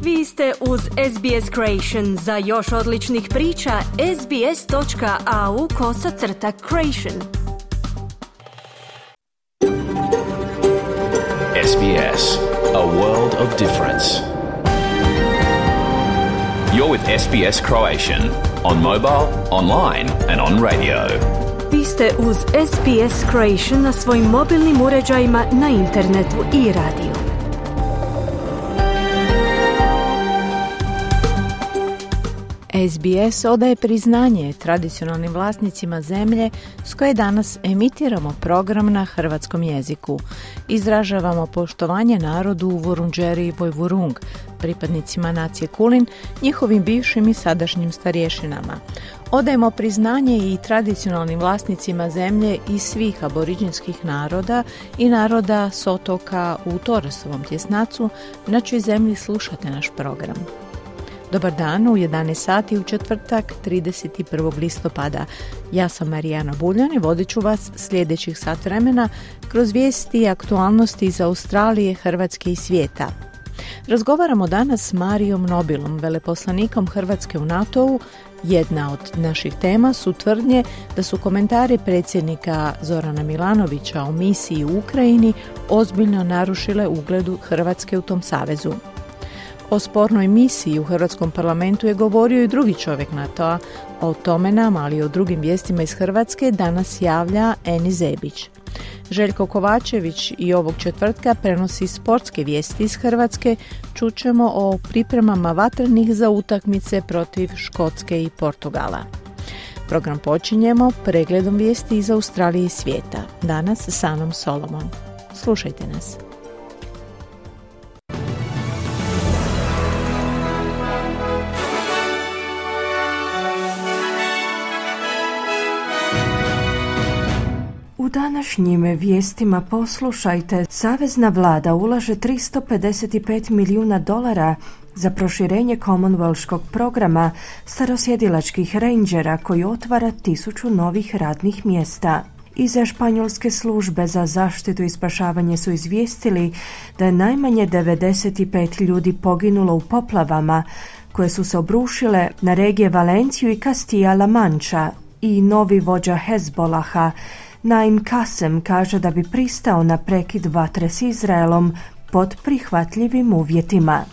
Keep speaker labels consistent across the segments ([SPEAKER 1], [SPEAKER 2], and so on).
[SPEAKER 1] Vi ste uz SBS Creation. Za još odličnih priča, sbs.au/creation.
[SPEAKER 2] SBS, a world of difference. You're with SBS Croatian on mobile, online and on radio.
[SPEAKER 1] Vi ste uz SBS Creation na svojim mobilnim uređajima, na internetu i radiju.
[SPEAKER 3] SBS odaje priznanje tradicionalnim vlasnicima zemlje s koje danas emitiramo program na hrvatskom jeziku. Izražavamo poštovanje narodu Vurundjeri i Vojvurung, pripadnicima nacije Kulin, njihovim bivšim i sadašnjim starješinama. Odajemo priznanje i tradicionalnim vlasnicima zemlje i svih aboriđinskih naroda i naroda s otoka u Toresovom tjesnacu, na čijoj zemlji slušate naš program. Dobar dan, u 11 sati u četvrtak 31. listopada. Ja sam Marijana Buljan i vodit ću vas sljedećih sat vremena kroz vijesti i aktualnosti iz Australije, Hrvatske i svijeta. Razgovaramo danas s Marijom Nobilom, veleposlanikom Hrvatske u NATO-u. Jedna od naših tema su tvrdnje da su komentari predsjednika Zorana Milanovića o misiji u Ukrajini ozbiljno narušile ugledu Hrvatske u tom savezu. O spornoj misiji u Hrvatskom parlamentu je govorio i drugi čovjek NATO-a. O tome nam, ali i o drugim vijestima iz Hrvatske, danas javlja Eni Zebić. Željko Kovačević i ovog četvrtka prenosi sportske vijesti iz Hrvatske. Čućemo o pripremama vatrenih za utakmice protiv Škotske i Portugala. Program počinjemo pregledom vijesti iz Australije i svijeta. Danas s Anom Solomon. Slušajte nas.
[SPEAKER 4] U današnjim vijestima poslušajte, Savezna vlada ulaže $355 milijuna za proširenje Commonwealthskog programa starosjedilačkih rangera koji otvara 1000 novih radnih mjesta. Iza španjolske službe za zaštitu i spašavanje su izvijestili da je najmanje 95 ljudi poginulo u poplavama koje su se obrušile na regije Valenciju i Castilla-La Mancha, i novi vođa Hezbolaha Naim Kasem kaže da bi pristao na prekid vatre s Izraelom pod prihvatljivim uvjetima.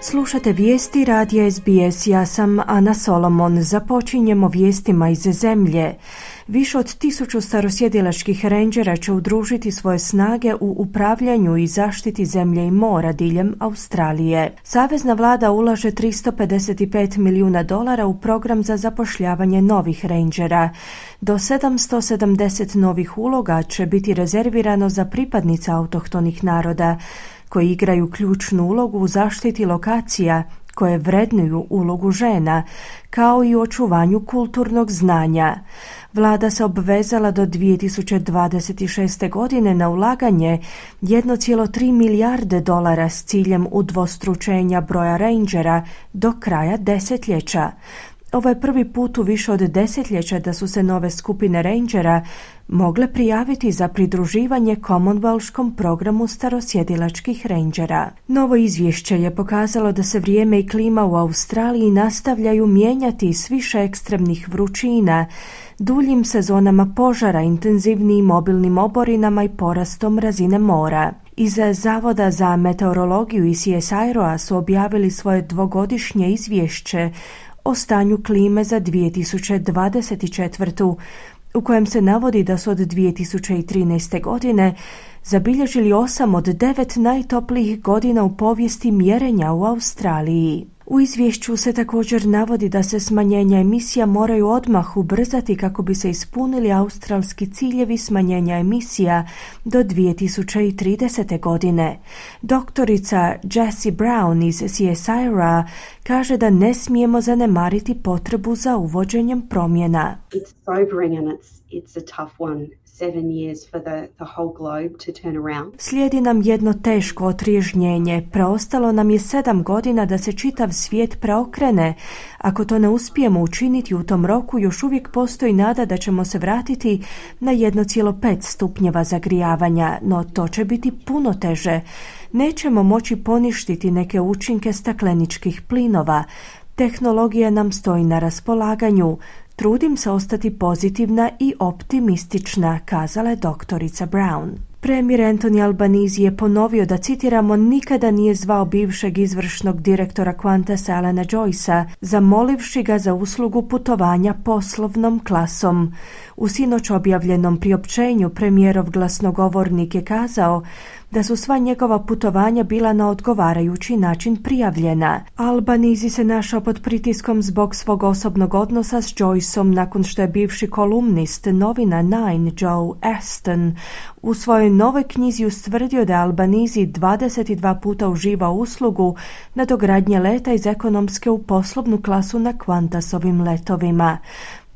[SPEAKER 4] Slušate vijesti radija SBS, ja sam Ana Solomon. Započinjemo vijestima iz zemlje. Više od 1000 starosjedilačkih rangera će udružiti svoje snage u upravljanju i zaštiti zemlje i mora diljem Australije. Savezna vlada ulaže $355 milijuna u program za zapošljavanje novih rangera. Do 770 novih uloga će biti rezervirano za pripadnice autohtonih naroda, koji igraju ključnu ulogu u zaštiti lokacija koje vrednuju ulogu žena, kao i u očuvanju kulturnog znanja. Vlada se obvezala do 2026. godine na ulaganje $1,3 milijarde s ciljem udvostručenja broja rangera do kraja desetljeća. Ovo je prvi put u više od desetljeća da su se nove skupine rangera mogle prijaviti za pridruživanje Commonwealthskom programu starosjedilačkih rangera. Novo izvješće je pokazalo da se vrijeme i klima u Australiji nastavljaju mijenjati s više ekstremnih vrućina, duljim sezonama požara, intenzivnijim mobilnim oborinama i porastom razine mora. Iz Zavoda za meteorologiju i CSIRO-a su objavili svoje dvogodišnje izvješće o stanju klime za 2024. u kojem se navodi da su od 2013. godine zabilježili 8 od 9 najtoplijih godina u povijesti mjerenja u Australiji. U izvješću se također navodi da se smanjenja emisija moraju odmah ubrzati kako bi se ispunili australski ciljevi smanjenja emisija do 2030. godine. Doktorica Jessie Brown iz CSIRO kaže da ne smijemo zanemariti potrebu za uvođenjem promjena.
[SPEAKER 5] It's sobering and it's a tough one.
[SPEAKER 4] Slijedi nam jedno teško otriježnjenje. Preostalo nam je 7 godina da se čitav svijet preokrene. Ako to ne uspijemo učiniti u tom roku, još uvijek postoji nada da ćemo se vratiti na 1,5 stupnjeva zagrijavanja, no to će biti puno teže. Nećemo moći poništiti neke učinke stakleničkih plinova. Tehnologija nam stoji na raspolaganju. Trudim se ostati pozitivna i optimistična, kazala je doktorica Brown. Premijer Anthony Albanese je ponovio da, citiramo, nikada nije zvao bivšeg izvršnog direktora Qantasa Alana Joycea, zamolivši ga za uslugu putovanja poslovnom klasom. U sinoć objavljenom priopćenju premijerov glasnogovornik je kazao da su sva njegova putovanja bila na odgovarajući način prijavljena. Albanese se našao pod pritiskom zbog svog osobnog odnosa s Joyceom nakon što je bivši kolumnist novina Nine Joe Aston u svojoj novoj knjizi ustvrdio da je Albanese 22 puta uživao uslugu nadogradnje leta iz ekonomske u poslovnu klasu na Qantasovim letovima.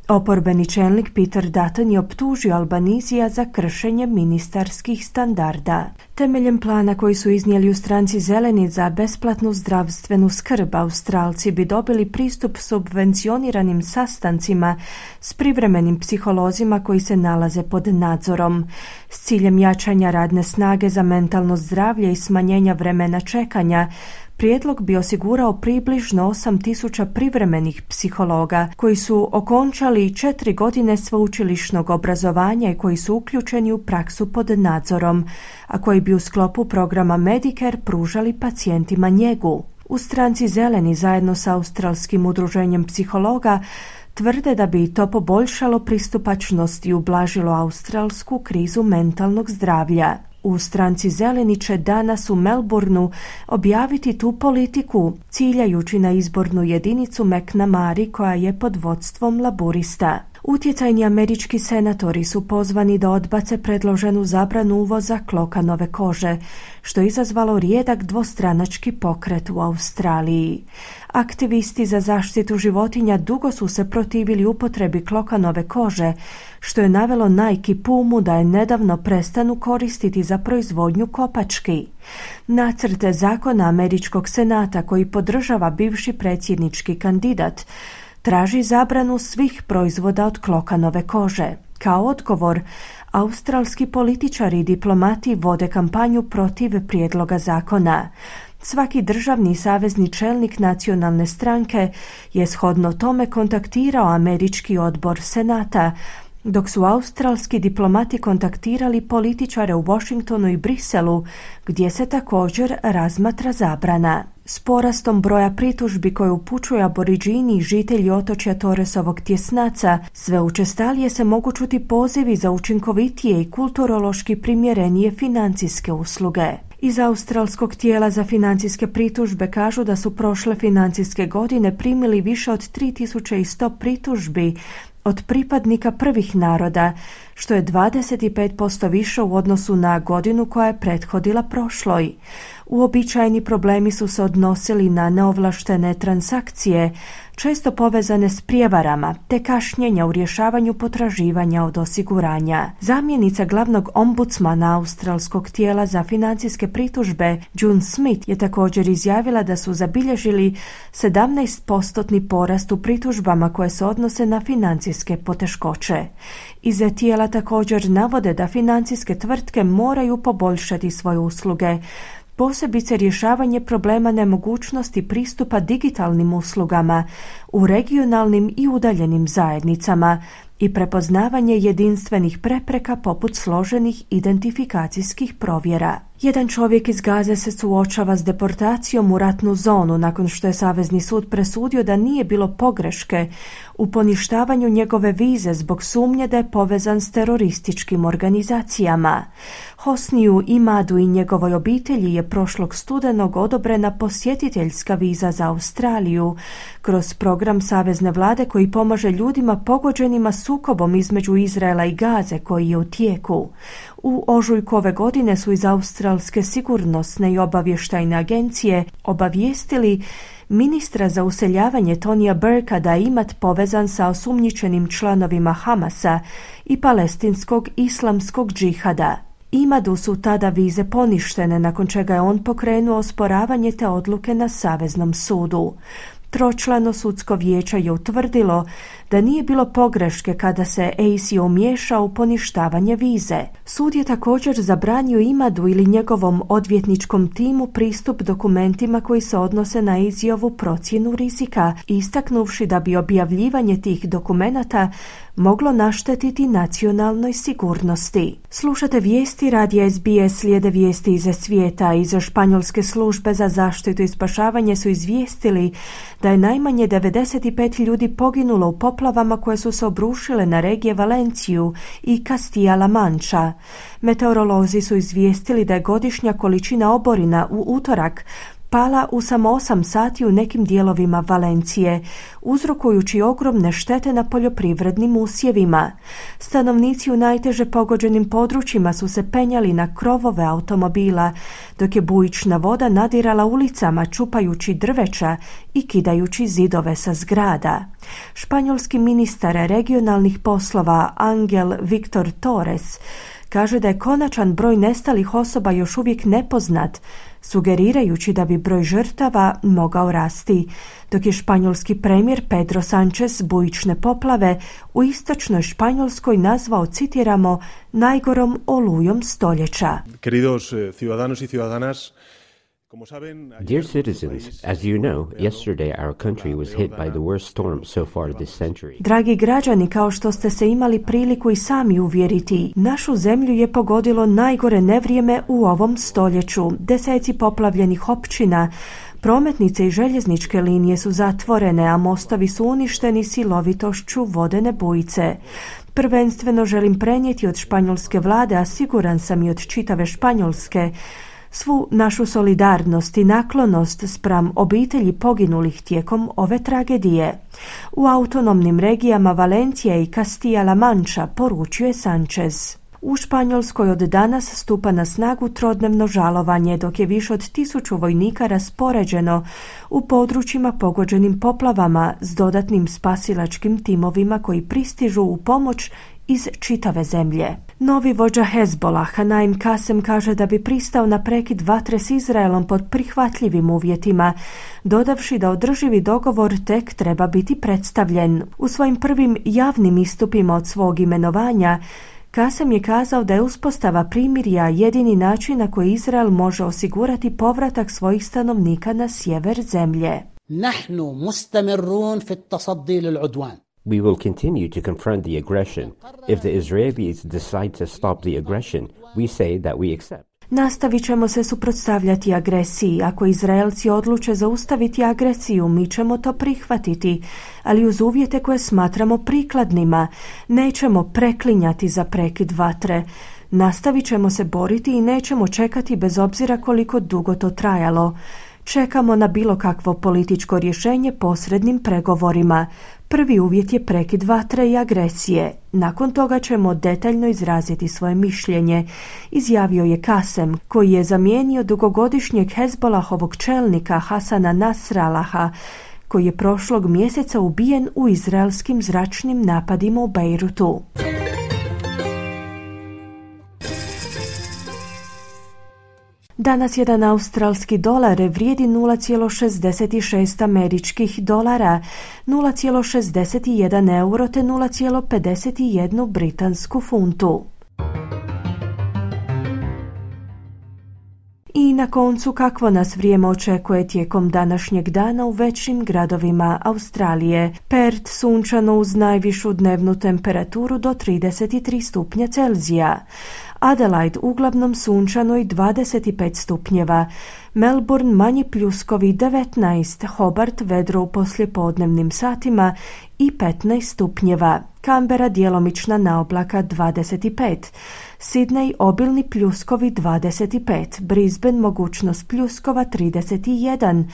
[SPEAKER 4] Oporbeni čelnik Peter Dutton je optužio Albanesea za kršenje ministarskih standarda. Temeljem plana koji su iznijeli u stranci Zeleni za besplatnu zdravstvenu skrb, Australci bi dobili pristup subvencioniranim sastancima s privremenim psiholozima koji se nalaze pod nadzorom. S ciljem jačanja radne snage za mentalno zdravlje i smanjenja vremena čekanja, prijedlog bi osigurao približno 8.000 privremenih psihologa koji su okončali 4 godine sveučilišnog obrazovanja i koji su uključeni u praksu pod nadzorom, a koji bi u sklopu programa Medicare pružali pacijentima njegu. U stranci Zeleni zajedno sa Australskim udruženjem psihologa tvrde da bi to poboljšalo pristupačnost i ublažilo australsku krizu mentalnog zdravlja. U stranci Zeleni će danas u Melbourneu objaviti tu politiku, ciljajući na izbornu jedinicu McNamara koja je pod vodstvom laburista. Utjecajni američki senatori su pozvani da odbace predloženu zabranu uvoza klokanove kože, što je izazvalo rijedak dvostranački pokret u Australiji. Aktivisti za zaštitu životinja dugo su se protivili upotrebi klokanove kože, što je navelo Nike i Pumu da je nedavno prestanu koristiti za proizvodnju kopački. Nacrt zakona američkog senata koji podržava bivši predsjednički kandidat traži zabranu svih proizvoda od klokanove kože. Kao odgovor, australski političari i diplomati vode kampanju protiv prijedloga zakona. Svaki državni i savezni čelnik nacionalne stranke je shodno tome kontaktirao američki odbor senata, dok su australski diplomati kontaktirali političare u Washingtonu i Briselu, gdje se također razmatra zabrana. S porastom broja pritužbi koje upućuju aboriđini i žitelji otočja Torresovog tjesnaca, sve učestalije se mogu čuti pozivi za učinkovitije i kulturološki primjerenije financijske usluge. Iz australskog tijela za financijske pritužbe kažu da su prošle financijske godine primili više od 3100 pritužbi od pripadnika prvih naroda, što je 25% više u odnosu na godinu koja je prethodila prošloj. Uobičajeni problemi su se odnosili na neovlaštene transakcije, često povezane s prijevarama, te kašnjenja u rješavanju potraživanja od osiguranja. Zamjenica glavnog ombudsmana australskog tijela za financijske pritužbe, June Smith, je također izjavila da su zabilježili 17% porast u pritužbama koje se odnose na financijske poteškoće. Iz tijela također navode da financijske tvrtke moraju poboljšati svoje usluge, posebice rješavanje problema nemogućnosti pristupa digitalnim uslugama u regionalnim i udaljenim zajednicama i prepoznavanje jedinstvenih prepreka poput složenih identifikacijskih provjera. Jedan čovjek iz Gaze se suočava s deportacijom u ratnu zonu nakon što je Savezni sud presudio da nije bilo pogreške u poništavanju njegove vize zbog sumnje da je povezan s terorističkim organizacijama. Hosniju Imadu i njegovoj obitelji je prošlog studenog odobrena posjetiteljska viza za Australiju kroz program Savezne vlade koji pomaže ljudima pogođenima sukobom između Izraela i Gaze koji je u tijeku. U ožujku ove godine su iz australskog izraelske sigurnosne i obavještajne agencije obavijestili ministra za useljavanje Tonija Burka da je Imad povezan sa osumnjičenim članovima Hamasa i palestinskog islamskog džihada. Imadu su tada vize poništene, nakon čega je on pokrenuo osporavanje te odluke na Saveznom sudu. Tročlano sudsko vijeće je utvrdilo da nije bilo pogreške kada se ACO umiješao u poništavanje vize. Sud je također zabranio Imadu ili njegovom odvjetničkom timu pristup dokumentima koji se odnose na ACO-vu procjenu rizika, istaknuvši da bi objavljivanje tih dokumenata moglo naštetiti nacionalnoj sigurnosti. Slušate vijesti radija SBS, slijede vijesti iz svijeta. Iz španjolske službe za zaštitu i spašavanje su izvijestili da je najmanje 95 ljudi poginulo u poplavama koje su se obrušile na regije Valenciju i Castilla-La Mancha. Meteorolozi su izvijestili da je godišnja količina oborina u utorak pala u samo 8 sati u nekim dijelovima Valencije, uzrokujući ogromne štete na poljoprivrednim usjevima. Stanovnici u najteže pogođenim područjima su se penjali na krovove automobila, dok je bujična voda nadirala ulicama, čupajući drveća i kidajući zidove sa zgrada. Španjolski ministar regionalnih poslova Angel Victor Torres kaže da je konačan broj nestalih osoba još uvijek nepoznat, sugerirajući da bi broj žrtava mogao rasti, dok je španjolski premijer Pedro Sánchez bujične poplave u istočnoj Španjolskoj nazvao, citiramo, najgorom olujom stoljeća.
[SPEAKER 5] Queridos ciudadanos y ciudadanas,
[SPEAKER 6] Dear citizens, as you know, yesterday our country was hit by the worst storm so far this century.
[SPEAKER 4] Dragi građani, kao što ste se imali priliku i sami uvjeriti, našu zemlju je pogodilo najgore nevrijeme u ovom stoljeću. Deseci poplavljenih općina, prometnice i željezničke linije su zatvorene, a mostovi su uništeni silovitošću vodene bujice. Prvenstveno želim prenijeti od španjolske vlade, a siguran sam i od čitave Španjolske, svu našu solidarnost i naklonost spram obitelji poginulih tijekom ove tragedije. U autonomnim regijama Valencija i Castilla-La Mancha, poručuje Sánchez. U Španjolskoj od danas stupa na snagu trodnevno žalovanje, dok je više od 1000 vojnika raspoređeno u područjima pogođenim poplavama s dodatnim spasilačkim timovima koji pristižu u pomoć iz čitave zemlje. Novi vođa Hezbollaha Naim Kasem kaže da bi pristao na prekid vatre s Izraelom pod prihvatljivim uvjetima, dodavši da održivi dogovor tek treba biti predstavljen. U svojim prvim javnim istupima od svog imenovanja, Kasem je kazao da je uspostava primirja jedini način na koji Izrael može osigurati povratak svojih stanovnika na sjever zemlje.
[SPEAKER 7] Nahnu mustamirrun fi at-tasaddi lil-udwan.
[SPEAKER 6] We will continue to confront the aggression. If the Israelis decide to stop the aggression, we say that we accept.
[SPEAKER 4] Nastavit ćemo se suprotstavljati agresiji. Ako Izraelci odluče zaustaviti agresiju, mi ćemo to prihvatiti, ali uz uvjete koje smatramo prikladnima. Nećemo preklinjati za prekid vatre. Nastavit ćemo se boriti i nećemo čekati bez obzira koliko dugo to trajalo. Čekamo na bilo kakvo političko rješenje posrednim pregovorima. Prvi uvjet je prekid vatre i agresije. Nakon toga ćemo detaljno izraziti svoje mišljenje, izjavio je Kasem, koji je zamijenio dugogodišnjeg Hezbollahovog čelnika Hasana Nasrallaha, koji je prošlog mjeseca ubijen u izraelskim zračnim napadima u Bejrutu. Danas jedan australski dolar vrijedi 0,66 američkih dolara, 0,61 euro te 0,51 britansku funtu. I na koncu, kakvo nas vrijeme očekuje tijekom današnjeg dana u većim gradovima Australije. Perth sunčano uz najvišu dnevnu temperaturu do 33 stupnja Celzija. Adelaide uglavnom sunčano i 25 stupnjeva. Melbourne manji pljuskovi 19, Hobart vedro u poslijepodnevnim satima i 15 stupnjeva. Canberra djelomična naoblaka 25. Sydney obilni pljuskovi 25, Brisbane mogućnost pljuskova 31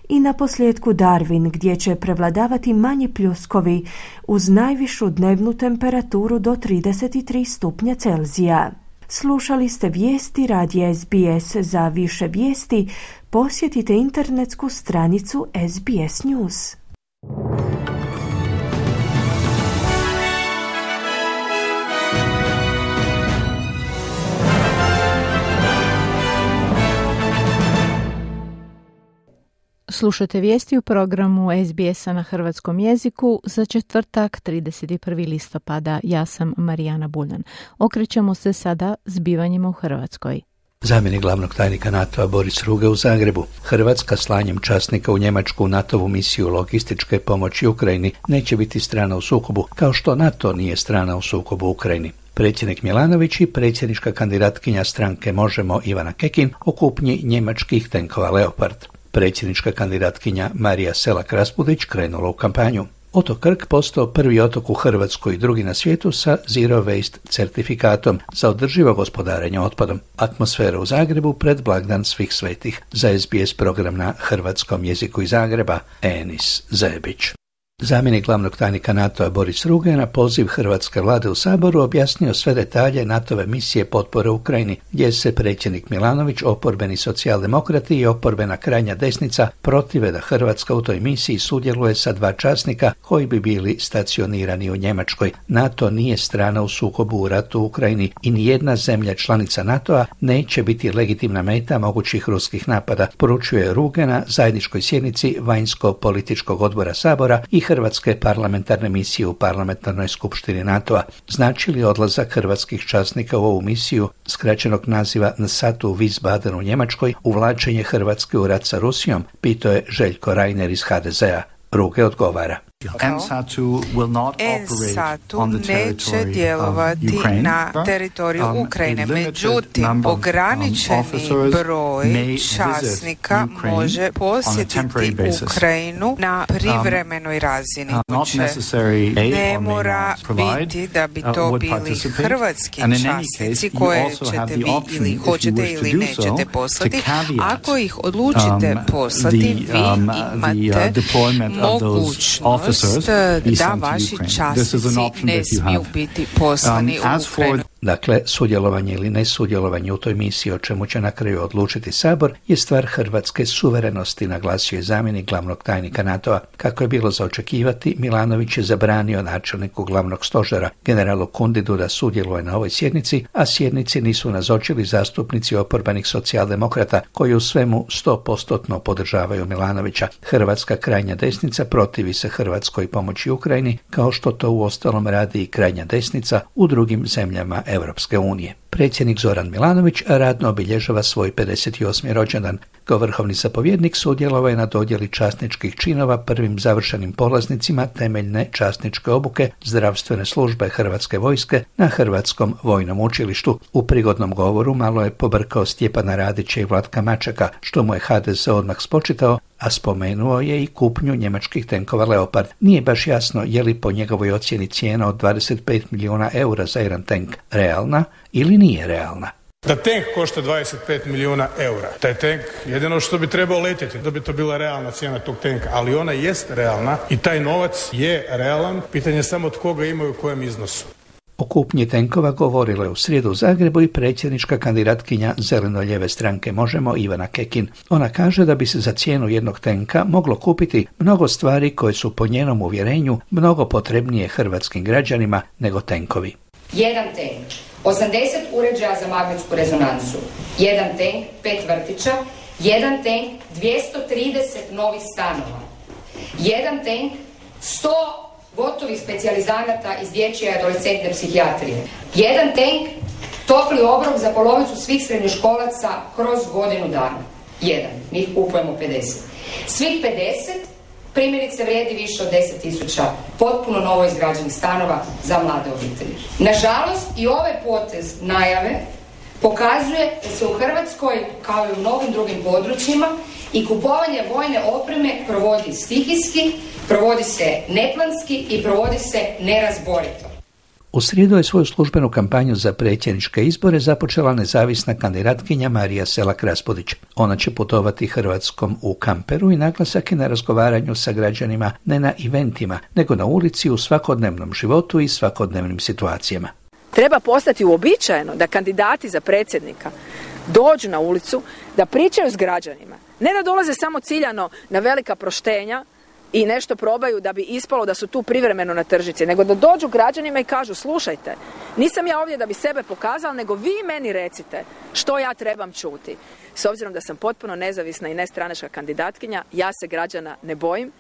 [SPEAKER 4] i na posljedku Darwin gdje će prevladavati manji pljuskovi uz najvišu dnevnu temperaturu do 33 stupnja Celzija. Slušali ste vijesti radija SBS. Za više vijesti posjetite internetsku stranicu SBS News.
[SPEAKER 3] Slušajte vijesti u programu SBS-a na hrvatskom jeziku za četvrtak 31. listopada. Ja sam Marijana Buljan. Okrećemo se sada zbivanjima u Hrvatskoj.
[SPEAKER 8] Zamjenik glavnog tajnika NATO-a Boris Ruge u Zagrebu. Hrvatska slanjem časnika u Njemačku u NATO-vu misiju logističke pomoći Ukrajini neće biti strana u sukobu, kao što NATO nije strana u sukobu u Ukrajini. Predsjednik Milanović i predsjednička kandidatkinja stranke Možemo Ivana Kekin o kupnji njemačkih tenkova Leopard. Predsjednička kandidatkinja Marija Selak-Raspudić krenula u kampanju. Otok Krk postao prvi otok u Hrvatskoj i drugi na svijetu sa Zero Waste certifikatom za održivo gospodarenje otpadom. Atmosfera u Zagrebu pred blagdan Svih svetih. Za SBS program na hrvatskom jeziku iz Zagreba, Enis Zebić. Zamjenik glavnog tajnika NATO-a Boris Ruge na poziv hrvatske vlade u Saboru objasnio sve detalje NATO-ve misije potpore Ukrajini, gdje se predsjednik Milanović, oporbeni socijaldemokrati i oporbena krajnja desnica protive da Hrvatska u toj misiji sudjeluje sa 2 časnika koji bi bili stacionirani u Njemačkoj. NATO nije strana u sukobu u ratu u Ukrajini i nijedna zemlja članica NATO-a neće biti legitimna meta mogućih ruskih napada, poručuje Ruge na zajedničkoj sjednici Vanjsko-političkog odbora Sabora i Hrvatske parlamentarne misije u parlamentarnoj skupštini NATO-a. Znači li odlazak hrvatskih časnika u ovu misiju, skraćenog naziva NSATU u Wiesbaden u Njemačkoj, uvlačenje Hrvatske u rat sa Rusijom, pitao je Željko Reiner iz HDZ-a. Ruge odgovara.
[SPEAKER 9] NSATU neće djelovati na teritoriju Ukrajine, međutim ograničeni broj časnika može posjetiti Ukrajinu na privremenoj razini. Ne mora biti da bi to bili hrvatski časnici koje ćete vi ili hoćete ili nećete poslati. Ako ih odlučite poslati, vi imate mogućnost da vaši časnici ne smiju biti poslani u Ukrajinu.
[SPEAKER 8] Dakle, sudjelovanje ili nesudjelovanje u toj misiji, o čemu će na kraju odlučiti Sabor, je stvar hrvatske suverenosti, naglasio je zamjenik glavnog tajnika NATO-a. Kako je bilo za očekivati, Milanović je zabranio načelniku glavnog stožera, generalu Kundidu, da sudjeluje na ovoj sjednici, a sjednici nisu nazočili zastupnici oporbenih socijaldemokrata, koji u svemu 100% podržavaju Milanovića. Hrvatska krajnja desnica protivi se Hrvatskoj pomoći Ukrajini, kao što to uostalom radi i krajnja desnica u drugim zemljama Europske unije. Predsjednik Zoran Milanović radno obilježava svoj 58. rođendan. Kao vrhovni zapovjednik sudjelovao je na dodjeli časničkih činova prvim završenim polaznicima temeljne časničke obuke zdravstvene službe Hrvatske vojske na Hrvatskom vojnom učilištu. U prigodnom govoru malo je pobrkao Stjepana Radića i Vlatka Mačeka, što mu je HDZ odmah spočitao, a spomenuo je i kupnju njemačkih tenkova Leopard. Nije baš jasno je li po njegovoj ocjeni cijena od 25 milijuna eura za jedan tank realna ili nije realna.
[SPEAKER 10] Da tank košta 25 milijuna eura, taj tank jedino što bi trebao letjeti, da bi to bila realna cijena tog tanka, ali ona jest realna i taj novac je realan, pitanje je samo tko ga ima i u kojem iznosu.
[SPEAKER 8] O kupnji tenkova govorila je u srijedu u Zagrebu i predsjednička kandidatkinja zeleno-lijeve stranke Možemo Ivana Kekin. Ona kaže da bi se za cijenu jednog tenka moglo kupiti mnogo stvari koje su po njenom uvjerenju mnogo potrebnije hrvatskim građanima nego tenkovi.
[SPEAKER 11] Jedan tank, 80 uređaja za magnetsku rezonansu, jedan tank, 5 vrtića, jedan tank, 230 novih stanova, jedan tank, 100 gotovih specijalizanata iz dječje i adolescentne psihijatrije, jedan tank, topli obrok za polovicu svih srednjoškolaca kroz godinu dana. Jedan, mi ih kupujemo 50. Svih 50 primjerice vrijedi više od 10.000 potpuno novo izgrađenih stanova za mlade obitelji. Nažalost, i ovaj potez najave pokazuje da se u Hrvatskoj, kao i u mnogim drugim područjima, i kupovanje vojne opreme provodi stihijski, provodi se neplanski i provodi se nerazborito.
[SPEAKER 8] U srijedu je svoju službenu kampanju za predsjedničke izbore započela nezavisna kandidatkinja Marija Selak-Raspudić. Ona će putovati Hrvatskom u kamperu i naglasak je na razgovaranju sa građanima ne na eventima, nego na ulici u svakodnevnom životu i svakodnevnim situacijama.
[SPEAKER 12] Treba postati uobičajeno da kandidati za predsjednika dođu na ulicu, da pričaju s građanima. Ne da dolaze samo ciljano na velika proštenja i nešto probaju da bi ispalo da su tu privremeno na tržnici, nego da dođu građanima i kažu slušajte, nisam ja ovdje da bi sebe pokazala, nego vi meni recite što ja trebam čuti. S obzirom da sam potpuno nezavisna i nestranačka kandidatkinja, ja se građana ne bojim,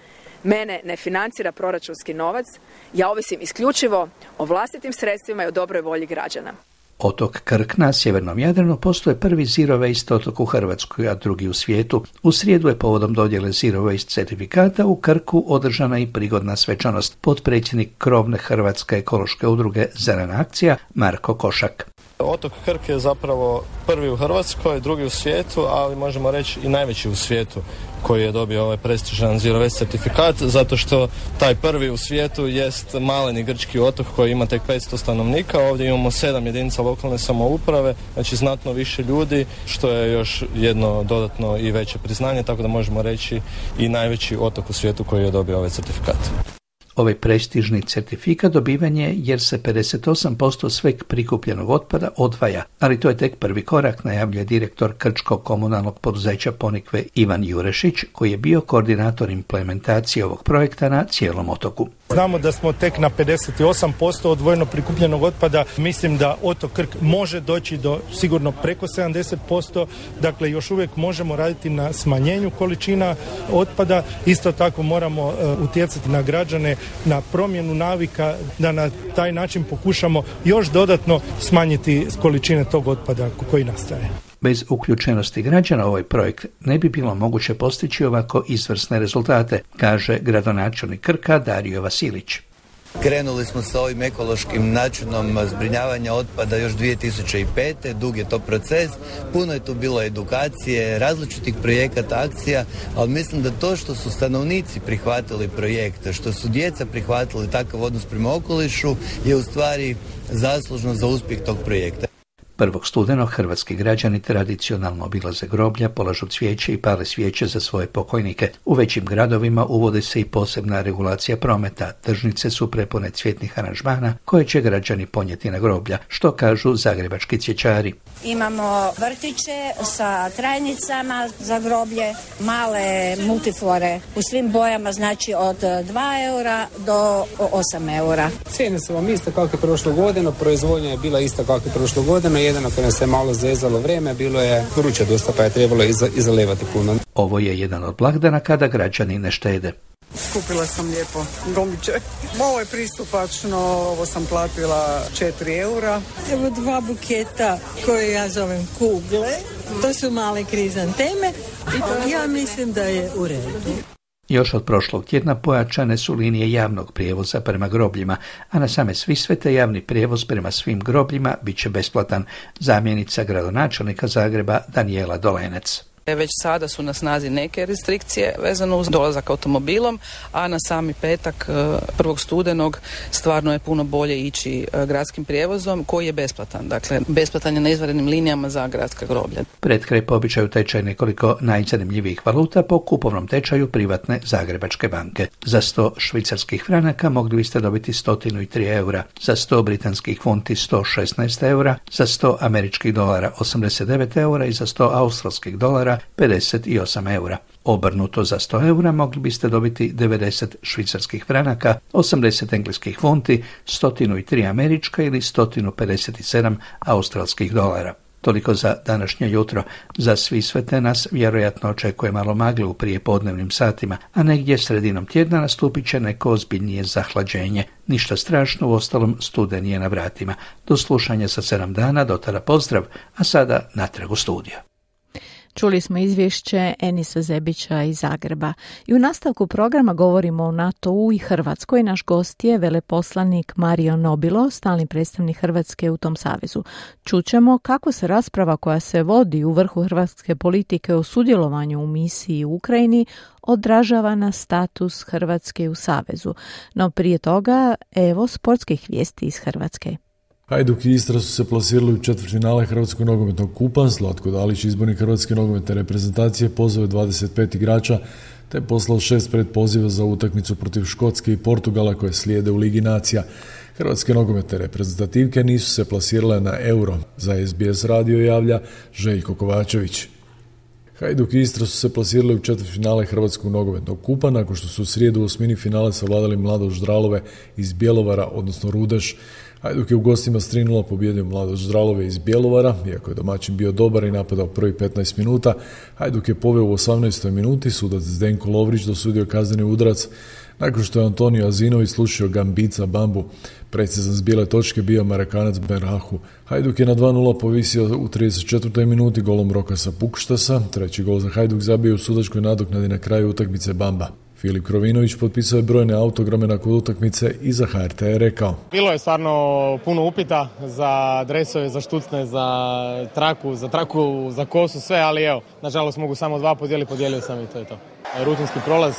[SPEAKER 12] mene ne financira proračunski novac, ja ovisim isključivo o vlastitim sredstvima i o dobroj volji građana.
[SPEAKER 8] Otok Krk na sjevernom Jadranu postoje prvi Zero Waste otok u Hrvatskoj, a drugi u svijetu. U srijedu je povodom dodjele Zero Waste certifikata u Krku održana i prigodna svečanost. Potpredsjednik krovne Hrvatske ekološke udruge Zelena akcija Marko Košak.
[SPEAKER 13] Otok Krk je zapravo prvi u Hrvatskoj, drugi u svijetu, ali možemo reći i najveći u svijetu koji je dobio ovaj prestižan Zero Waste certifikat, zato što taj prvi u svijetu jest maleni grčki otok koji ima tek 500 stanovnika. Ovdje imamo 7 jedinica lokalne samouprave, znači znatno više ljudi, što je još jedno dodatno i veće priznanje, tako da možemo reći i najveći otok u svijetu koji je dobio ovaj certifikat.
[SPEAKER 8] Ovaj prestižni certifikat dobiven je jer se 58% sveg prikupljenog otpada odvaja, ali to je tek prvi korak, najavljuje direktor krčkog komunalnog poduzeća Ponikve Ivan Jurešić, koji je bio koordinator implementacije ovog projekta na cijelom otoku.
[SPEAKER 14] Znamo da smo tek na 58% odvojeno prikupljenog otpada. Mislim da otok Krk može doći do sigurno preko 70%. Dakle, još uvijek možemo raditi na smanjenju količina otpada. Isto tako moramo utjecati na građane, na promjenu navika, da na taj način pokušamo još dodatno smanjiti količine tog otpada koji nastaje.
[SPEAKER 8] Bez uključenosti građana u ovaj projekt ne bi bilo moguće postići ovako izvrsne rezultate, kaže gradonačelnik Krka Dario Vasilić.
[SPEAKER 15] Krenuli smo sa ovim ekološkim načinom zbrinjavanja otpada još 2005. Dug je to proces, puno je tu bilo edukacije, različitih projekata, akcija, ali mislim da to što su stanovnici prihvatili projekte, što su djeca prihvatili takav odnos prema okolišu je u stvari zaslužno za uspjeh tog projekta.
[SPEAKER 8] 1. studenog hrvatski građani tradicionalno obilaze groblja, polažu cvijeće i pale svijeće za svoje pokojnike. U većim gradovima uvodi se i posebna regulacija prometa. Tržnice su prepune cvjetnih aranžmana koje će građani ponijeti na groblja, što kažu zagrebački cvjećari.
[SPEAKER 16] Imamo vrtiće sa trajnicama za groblje, male multiflore u svim bojama, znači od 2 eura do 8 eura.
[SPEAKER 17] Cijene su vam iste kako je prošlo godinu, proizvodnja je bila ista kako je prošlo godinu, jedino ako nas je malo zezalo vrijeme, bilo je vruće dosta pa je trebalo izalevati puno.
[SPEAKER 8] Ovo je jedan od blagdana kada građani ne štede.
[SPEAKER 18] Skupila sam lijepo gombiće. Ovo je pristupačno, ovo sam platila 4 eura.
[SPEAKER 19] Evo 2 buketa koje ja zovem kugle. To su male krizanteme. Ja mislim da je u redu.
[SPEAKER 8] Još od prošlog tjedna pojačane su linije javnog prijevoza prema grobljima, a na same Svisvete javni prijevoz prema svim grobljima bit će besplatan. Zamjenica gradonačelnika Zagreba Danijela Dolenec.
[SPEAKER 20] Već sada su na snazi neke restrikcije vezano uz dolazak automobilom, a na sami petak 1. studenog stvarno je puno bolje ići gradskim prijevozom koji je besplatan. Dakle, besplatan je na izvanrednim linijama za gradska groblja.
[SPEAKER 8] Pred kraj po običaju tečaj nekoliko najzanimljivijih valuta po kupovnom tečaju privatne Zagrebačke banke. Za 100 švicarskih franaka mogli biste dobiti 103 eura, za 100 britanskih funti 116 eura, za 100 američkih dolara 89 eura i za 100 australskih dolara 58 eura. Obrnuto za 100 eura mogli biste dobiti 90 švicarskih franaka, 80 engleskih funti, 103 američka ili 157 australskih dolara. Toliko za današnje jutro. Za Svisvete nas vjerojatno očekuje malo magle u prijepodnevnim satima, a negdje sredinom tjedna nastupit će neko ozbiljnije zahlađenje. Ništa strašno, uostalom studen je na vratima. Do slušanja za 7 dana, do tada pozdrav, a sada natrag u studio.
[SPEAKER 3] Čuli smo izvješće Enisa Zebića iz Zagreba. I u nastavku programa govorimo o NATO-u i Hrvatskoj. Naš gost je veleposlanik Mario Nobilo, stalni predstavnik Hrvatske u tom savezu. Čućemo kako se rasprava koja se vodi u vrhu hrvatske politike o sudjelovanju u misiji u Ukrajini odražava na status Hrvatske u savezu. No prije toga, evo sportskih vijesti iz Hrvatske.
[SPEAKER 21] Hajduk i Istra su se plasirali u četvrtfinale Hrvatskog nogometnog kupa. Zlatko Dalić, izbornik Hrvatske nogometne reprezentacije, pozvao je 25 igrača te poslao 6 predpoziva za utakmicu protiv Škotske i Portugala koje slijede u Ligi nacija. Hrvatske nogometne reprezentativke nisu se plasirale na Euro. Za SBS radio javlja Željko Kovačević. Hajduk i Istra su se plasirali u četvrtfinale Hrvatskog nogometnog kupa nakon što su u srijedu u osmini finale savladali Mladost Ždralove iz Bjelovara, odnosno Rudeš. Hajduk je u gostima s 3:0 pobijedio Mladost Ždralove iz Bjelovara, iako je domaćin bio dobar i napadao prvih 15 minuta. Hajduk je poveo u 18. minuti, sudac Zdenko Lovrić dosudio kazneni udarac nakon što je Antonio Azinović slušio Gambica Bambu. Precizan s bijele točke bio Marekanac Berhahu. Hajduk je na 2:0 povisio u 34. minuti golom Rokasa Pukštasa. Treći gol za Hajduk zabio u sudačkoj nadoknadi na kraju utakmice Bamba. Filip Krovinović potpisao je brojne autograme nakon utakmice i za HRT je rekao:
[SPEAKER 2] Bilo je stvarno puno upita za dresove, za štucne, za traku, za kosu, sve, ali evo, nažalost mogu samo 2 podijelio sam i to je to. Rutinski prolaz,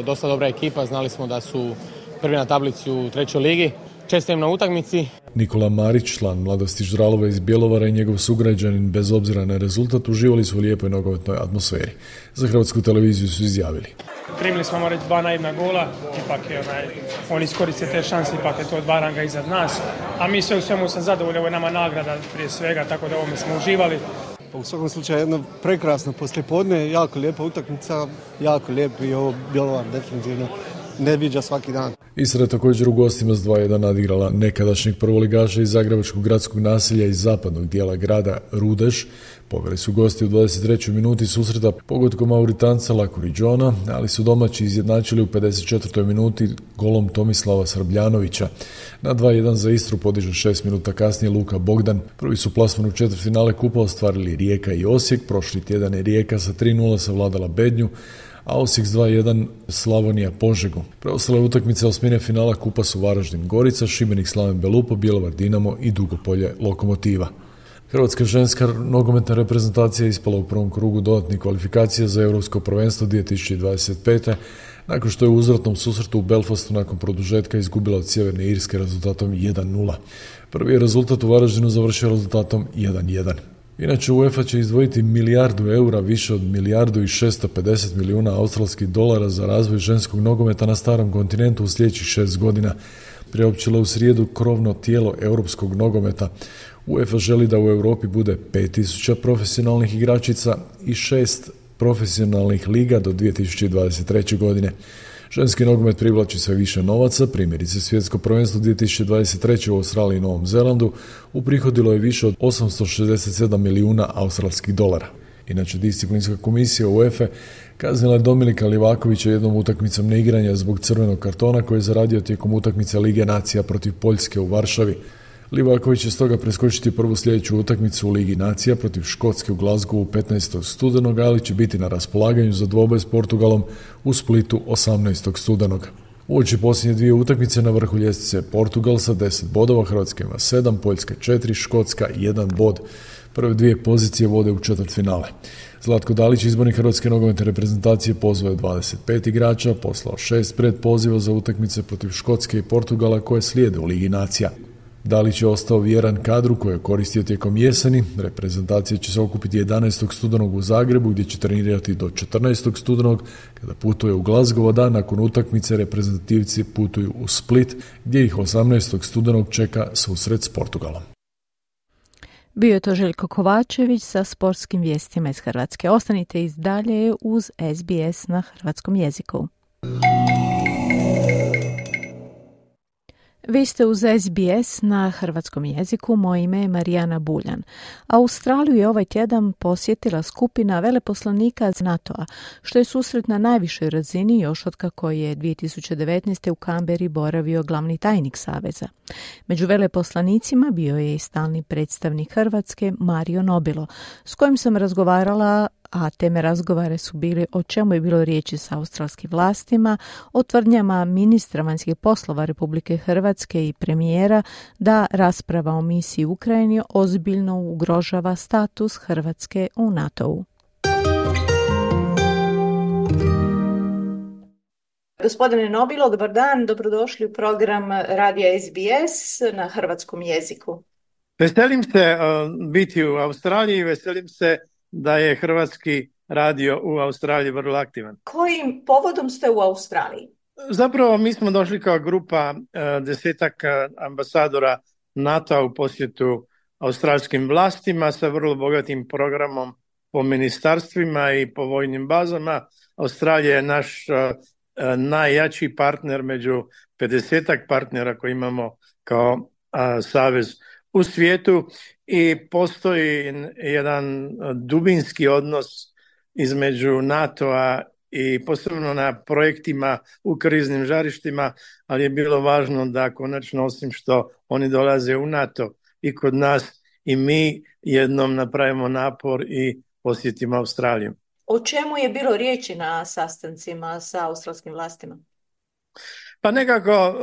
[SPEAKER 2] dosta dobra ekipa, znali smo da su prvi na tablici u 3. ligi. Čestitam na utakmici.
[SPEAKER 21] Nikola Marić, član Mladosti Ždralove iz Bjelovara i njegov sugrađanin, bez obzira na rezultat, uživali su u lijepoj nogometnoj atmosferi. Za Hrvatsku televiziju su izjavili:
[SPEAKER 22] Primili smo, moram reći, 2 naivna gola, ipak je oni iskoriste te šanse, ipak je to 2 ranga iznad nas, a mi sve u svemu sam zadovoljni, ovo je nama nagrada prije svega, tako da ovome smo uživali.
[SPEAKER 23] U svakom slučaju jedno prekrasno poslijepodne, jako lijepa utakmica, jako lijep i ovo Bjelovar definitivno ne viđa svaki dan.
[SPEAKER 21] Istra je također u gostima s 2:1 nadigrala nekadašnjeg prvoligaša iz Zagrebačkog gradskog naselja iz zapadnog dijela grada Rudeš. Poveli su gosti u 23. minuti susreta pogodkom Mauritanca Lakuriđona, ali su domaći izjednačili u 54. minuti golom Tomislava Srbljanovića. Na 2:1 za Istru podiže 6 minuta kasnije Luka Bogdan. Prvi su plasman u četvrtfinale kupa ostvarili Rijeka i Osijek. Prošli tjedan je Rijeka sa 3:0 savladala Bednju, a Osijek s 2:1 Slavonija Požegu. Preostale utakmice osmine finala kupa su Varaždin Gorica, Šibenik Slaven Belupo, Bjelovar Dinamo i Dugopolje Lokomotiva. Hrvatska ženska nogometna reprezentacija ispala u prvom krugu dodatnih kvalifikacija za Europsko prvenstvo 2025. nakon što je u uzvratnom susretu u Belfastu nakon produžetka izgubila od Sjeverne Irske rezultatom 1:0. Prvi je rezultat u Varaždinu završio rezultatom 1:1. Inače, UEFA će izdvojiti €1 milijardu, više od $1,650 milijuna australskih dolara za razvoj ženskog nogometa na starom kontinentu u sljedećih 6 godina. Priopćilo u srijedu krovno tijelo europskog nogometa. UEFA želi da u Europi bude 5000 profesionalnih igračica i 6 profesionalnih liga do 2023. godine. Ženski nogomet privlači sve više novaca, primjerice svjetsko prvenstvo 2023. u Australiji i Novom Zelandu uprihodilo je više od 867 milijuna australskih dolara. Inače, disciplinska komisija UEFA kaznila je Dominika Livakovića jednom utakmicom neigranja zbog crvenog kartona koji je zaradio tijekom utakmice Lige nacija protiv Poljske u Varšavi. Livaković će stoga preskočiti prvu sljedeću utakmicu u Ligi nacija protiv Škotske u Glasgowu 15. studenog, ali će biti na raspolaganju za dvoboj s Portugalom u Splitu 18. studenog. Uoči posljednje 2 utakmice na vrhu ljestvice Portugal sa 10 bodova, Hrvatska ima 7, Poljska 4, Škotska 1 bod. Prve 2 pozicije vode u četvrtfinale. Zlatko Dalić, izbornik Hrvatske nogometne reprezentacije, pozvao je 25 igrača, poslao 6 predpoziva za utakmice protiv Škotske i Portugala koje slijede u Ligi nacija. Dalić je ostao vjeran kadru koji je koristio tijekom jeseni. Reprezentacija će se okupiti 11. studenog u Zagrebu gdje će trenirati do 14. studenog kada putuje u Glasgow, da nakon utakmice reprezentativci putuju u Split gdje ih 18. studenog čeka susret s Portugalom.
[SPEAKER 3] Bio je to Željko Kovačević sa sportskim vijestima iz Hrvatske. Ostanite i dalje uz SBS na hrvatskom jeziku. Vi ste uz SBS na hrvatskom jeziku, moje ime je Marijana Buljan. Australiju je ovaj tjedan posjetila skupina veleposlanika NATO-a, što je susret na najvišoj razini još otkako je 2019. u Kamberi boravio glavni tajnik Saveza. Među veleposlanicima bio je i stalni predstavnik Hrvatske Mario Nobilo, s kojim sam razgovarala, a teme razgovare su bili o čemu je bilo riječi s australskim vlastima, o tvrdnjama ministra vanjskih poslova Republike Hrvatske i premijera da rasprava o misiji u Ukrajini ozbiljno ugrožava status Hrvatske u NATO-u. Gospodine Nobilo, dobar dan, dobrodošli u program Radija SBS na hrvatskom jeziku.
[SPEAKER 24] Veselim se biti u Australiji, veselim se da je hrvatski radio u Australiji vrlo aktivan.
[SPEAKER 3] Kojim povodom ste u Australiji?
[SPEAKER 24] Zapravo mi smo došli kao grupa 10 ambasadora NATO-a u posjetu australskim vlastima sa vrlo bogatim programom po ministarstvima i po vojnim bazama. Australija je naš najjači partner među 50 partnera koji imamo kao savez u svijetu i postoji jedan dubinski odnos između NATO-a i posebno na projektima u kriznim žarištima, ali je bilo važno da konačno, osim što oni dolaze u NATO i kod nas, i mi jednom napravimo napor i posjetimo Australiju.
[SPEAKER 3] O čemu je bilo riječi na sastancima sa australskim vlastima?
[SPEAKER 24] Pa nekako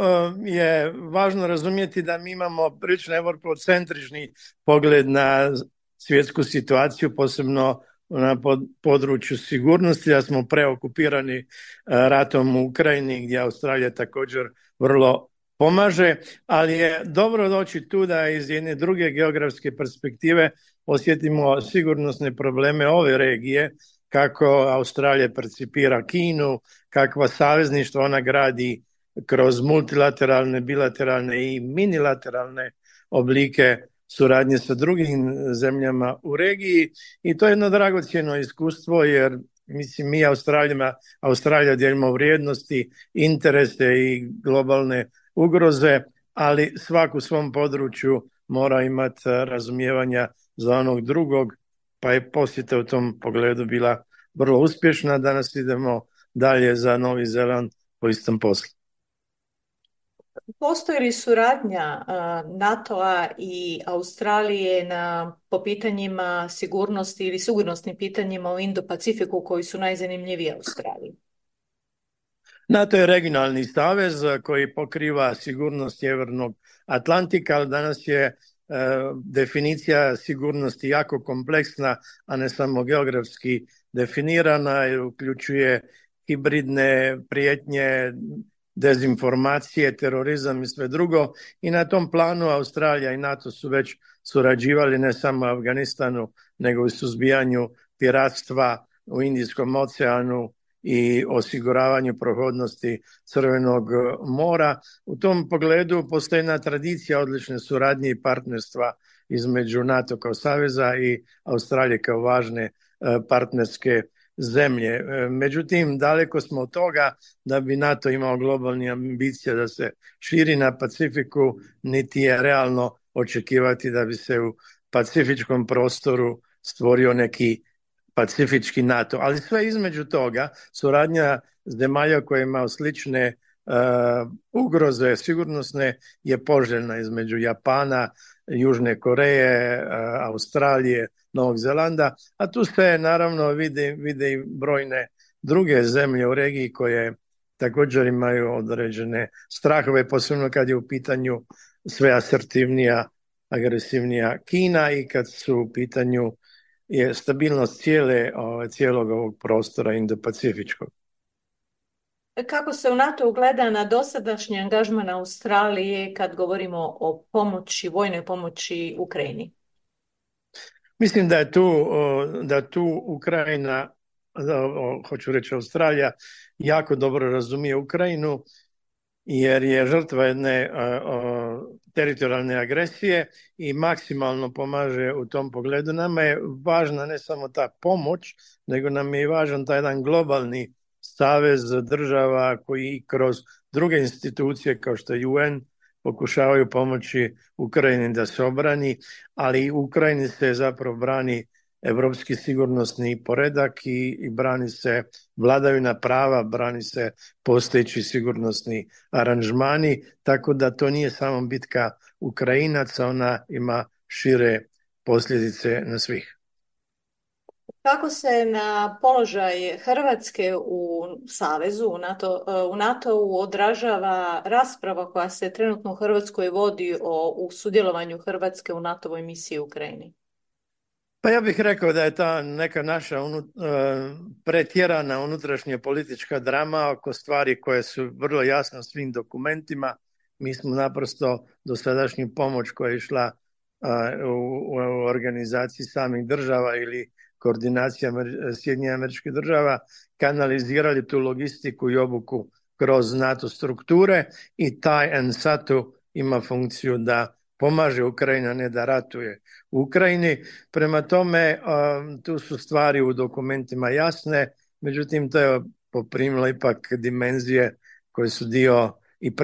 [SPEAKER 24] je važno razumjeti da mi imamo prilično evropocentrični pogled na svjetsku situaciju, posebno na području sigurnosti, da smo preokupirani ratom u Ukrajini, gdje Australija također vrlo pomaže, ali je dobro doći tu da iz jedne druge geografske perspektive osjetimo sigurnosne probleme ove regije, kako Australija percipira Kinu, kakva savezništva ona gradi kroz multilateralne, bilateralne i minilateralne oblike suradnje sa drugim zemljama u regiji, i to je jedno dragocjeno iskustvo, jer mislim mi Australija dijelimo vrijednosti, interese i globalne ugroze, ali svak u svom području mora imati razumijevanja za onog drugog, pa je posjeta u tom pogledu bila vrlo uspješna. Danas idemo dalje za Novi Zeland po istom poslu.
[SPEAKER 3] Postoji li suradnja NATO-a i Australije po pitanjima sigurnosti ili sigurnosnim pitanjima u Indo-Pacifiku koji su najzanimljiviji Australiji?
[SPEAKER 24] NATO je regionalni savez koji pokriva sigurnost Sjevernog Atlantika, ali danas je definicija sigurnosti jako kompleksna, a ne samo geografski definirana, i uključuje hibridne prijetnje, dezinformacije, terorizam i sve drugo, i na tom planu Australija i NATO su već surađivali ne samo u Afganistanu, nego i suzbijanju piratstva u Indijskom oceanu i osiguravanju prohodnosti Crvenog mora. U tom pogledu postoji jedna tradicija odlične suradnje i partnerstva između NATO kao saveza i Australije kao važne partnerske zemlje. Međutim, daleko smo od toga da bi NATO imao globalne ambicije da se širi na Pacifiku, niti je realno očekivati da bi se u pacifičkom prostoru stvorio neki pacifički NATO. Ali sve između toga, suradnja zemalja koje imaju slične ugroze sigurnosne je poželjna, između Japana, Južne Koreje, Australije, Novog Zelanda, a tu se naravno vide i brojne druge zemlje u regiji koje također imaju određene strahove, posebno kad je u pitanju sve asertivnija, agresivnija Kina i kad su u pitanju je stabilnost cijelog ovog prostora Indo-Pacifičkog.
[SPEAKER 3] Kako se u NATO gleda na dosadašnji angažman Australije kad govorimo o vojnoj pomoći Ukrajini?
[SPEAKER 24] Mislim da tu Ukrajina, hoću reći Australija, jako dobro razumije Ukrajinu, jer je žrtva jedne teritorijalne agresije i maksimalno pomaže u tom pogledu. Nama je važna ne samo ta pomoć, nego nam je važan taj jedan globalni savez država koji kroz druge institucije kao što je UN pokušavaju pomoći Ukrajini da se obrani, ali u Ukrajini se zapravo brani evropski sigurnosni poredak i brani se vladavina prava, brani se postojeći sigurnosni aranžmani, tako da to nije samo bitka Ukrajinaca, ona ima šire posljedice na svih.
[SPEAKER 3] Kako se na položaj Hrvatske u Savezu, u NATO-u odražava rasprava koja se trenutno u Hrvatskoj vodi u sudjelovanju Hrvatske u NATO-voj misiji u Ukrajini?
[SPEAKER 24] Pa ja bih rekao da je ta neka naša pretjerana unutrašnja politička drama oko stvari koje su vrlo jasne svim dokumentima. Mi smo naprosto dosadašnju pomoć koja je išla u organizaciji samih država ili koordinacija Sjedinjenih Američkih Država kanalizirali tu logistiku i obuku kroz NATO strukture i taj NSATU ima funkciju da pomaže Ukrajini, a ne da ratuje u Ukrajini. Prema tome, tu su stvari u dokumentima jasne, međutim to je poprimilo ipak dimenzije koje su dio i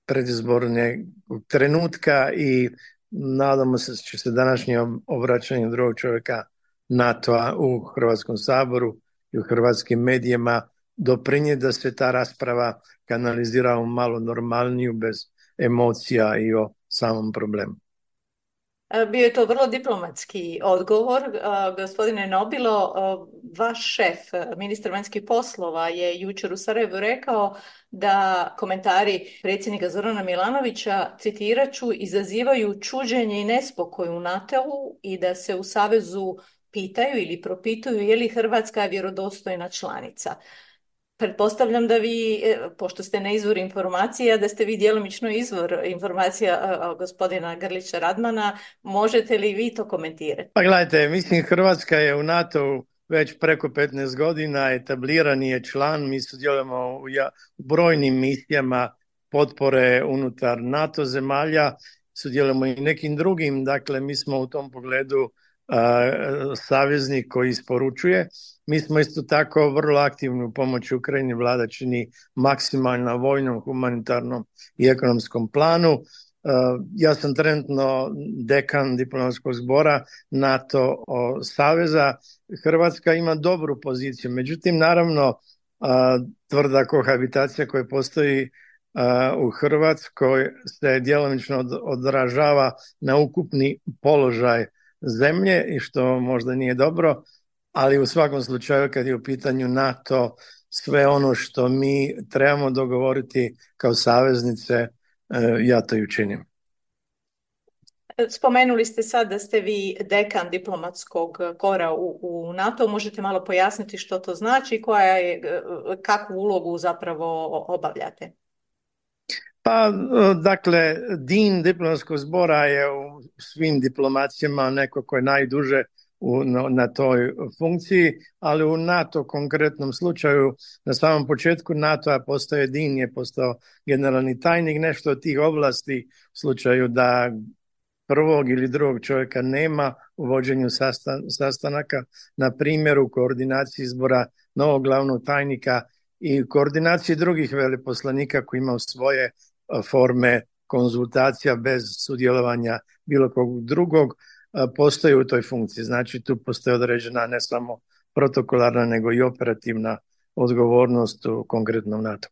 [SPEAKER 24] predizborne trenutka i nadamo se da će se današnje obraćanje drugog čovjeka NATO-a u Hrvatskom saboru i u hrvatskim medijima doprinijeti da se ta rasprava kanalizira u malo normalniju, bez emocija i o samom problemu.
[SPEAKER 3] Bio je to vrlo diplomatski odgovor. Gospodine Nobilo, vaš šef, ministar vanjskih poslova, je jučer u Sarajevu rekao da komentari predsjednika Zorana Milanovića, citirat ću, izazivaju čuđenje i nespokoj u NATO-u i da se u Savezu pitaju ili propituju je li Hrvatska vjerodostojna članica. Pretpostavljam da vi, pošto ste na izvor informacija, da ste vi djelomično izvor informacija gospodina Grlića Radmana, možete li vi to komentirati?
[SPEAKER 24] Pa gledajte, mislim Hrvatska je u NATO već preko 15 godina, etablirani je član, mi sudjelujemo u brojnim misijama potpore unutar NATO zemalja, sudjelujemo i nekim drugim, dakle mi smo u tom pogledu saveznik koji isporučuje. Mi smo isto tako vrlo aktivni u pomoći Ukrajini, vlada čini maksimalno na vojnom, humanitarnom i ekonomskom planu. Ja sam trenutno dekan diplomatskog zbora NATO saveza. Hrvatska ima dobru poziciju, međutim naravno tvrda kohabitacija koja postoji u Hrvatskoj se djelomično odražava na ukupni položaj zemlje i što možda nije dobro, ali u svakom slučaju kad je u pitanju NATO, sve ono što mi trebamo dogovoriti kao saveznice, ja to i učinim.
[SPEAKER 3] Spomenuli ste sad da ste vi dekan diplomatskog kora u NATO. Možete malo pojasniti što to znači, kakvu ulogu zapravo obavljate?
[SPEAKER 24] Pa, dakle, din diplomatskog zbora je u svim diplomacijama neko ko je najduže na toj funkciji, ali u NATO konkretnom slučaju, na samom početku NATO-a postoje din, je postao generalni tajnik, nešto od tih ovlasti u slučaju da prvog ili drugog čovjeka nema u vođenju sastanaka, na primjer u koordinaciji izbora novog glavnog tajnika i koordinaciji drugih veleposlanika koji imaju svoje forme konzultacija bez sudjelovanja bilo kog drugog, postoji u toj funkciji. Znači tu postoji određena ne samo protokolarna nego i operativna odgovornost u konkretnom NATO.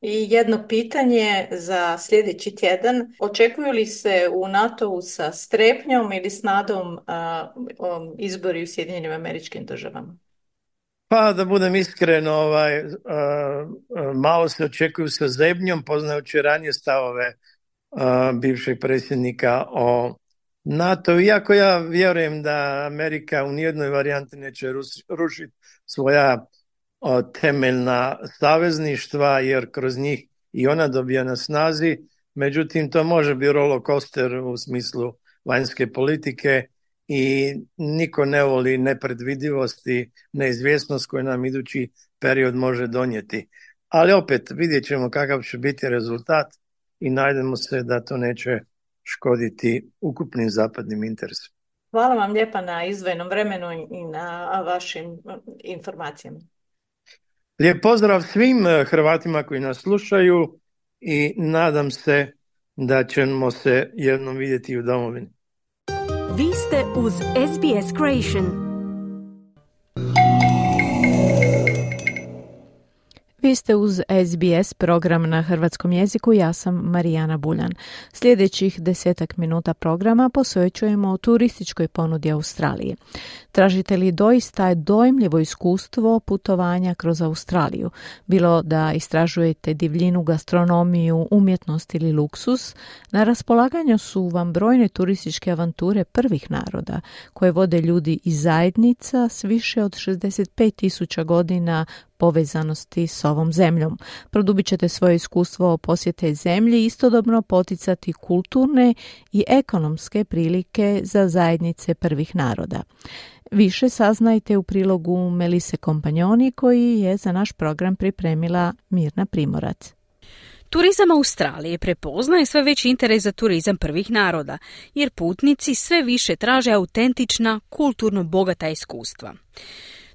[SPEAKER 3] I jedno pitanje za sljedeći tjedan. Očekuju li se u NATO-u sa strepnjom ili s nadom izbori u Sjedinjenim Američkim Državama?
[SPEAKER 24] Pa da budem iskren, malo se očekuju sa zebnjom, poznajući ranije stavove bivšeg predsjednika o NATO. Iako ja vjerujem da Amerika u nijednoj varijanti neće rušiti svoja temeljna savezništva, jer kroz njih i ona dobija na snazi, međutim to može biti roller coaster u smislu vanjske politike i niko ne voli nepredvidivost i neizvjesnost koju nam idući period može donijeti. Ali opet vidjet ćemo kakav će biti rezultat i najdemo se da to neće škoditi ukupnim zapadnim interesima.
[SPEAKER 3] Hvala vam lijepa na izdvojenom vremenu i na vašim informacijama.
[SPEAKER 24] Lijep pozdrav svim Hrvatima koji nas slušaju i nadam se da ćemo se jednom vidjeti u domovini.
[SPEAKER 1] Vi ste uz SBS Creation.
[SPEAKER 3] Vi ste uz SBS program na hrvatskom jeziku, ja sam Marijana Buljan. Sljedećih 10 minuta programa posvećujemo turističkoj ponudi Australije. Tražite li doista dojmljivo iskustvo putovanja kroz Australiju? Bilo da istražujete divljinu, gastronomiju, umjetnost ili luksus, na raspolaganju su vam brojne turističke avanture prvih naroda, koje vode ljudi iz zajednica s više od 65.000 godina povezanosti s ovom zemljom. Produbit ćete svoje iskustvo posjete zemlji i istodobno poticati kulturne i ekonomske prilike za zajednice prvih naroda. Više saznajte u prilogu Melise Kompanjoni koji je za naš program pripremila Mirna Primorac.
[SPEAKER 4] Turizam Australije prepoznaje sve veći interes za turizam prvih naroda, jer putnici sve više traže autentična, kulturno bogata iskustva.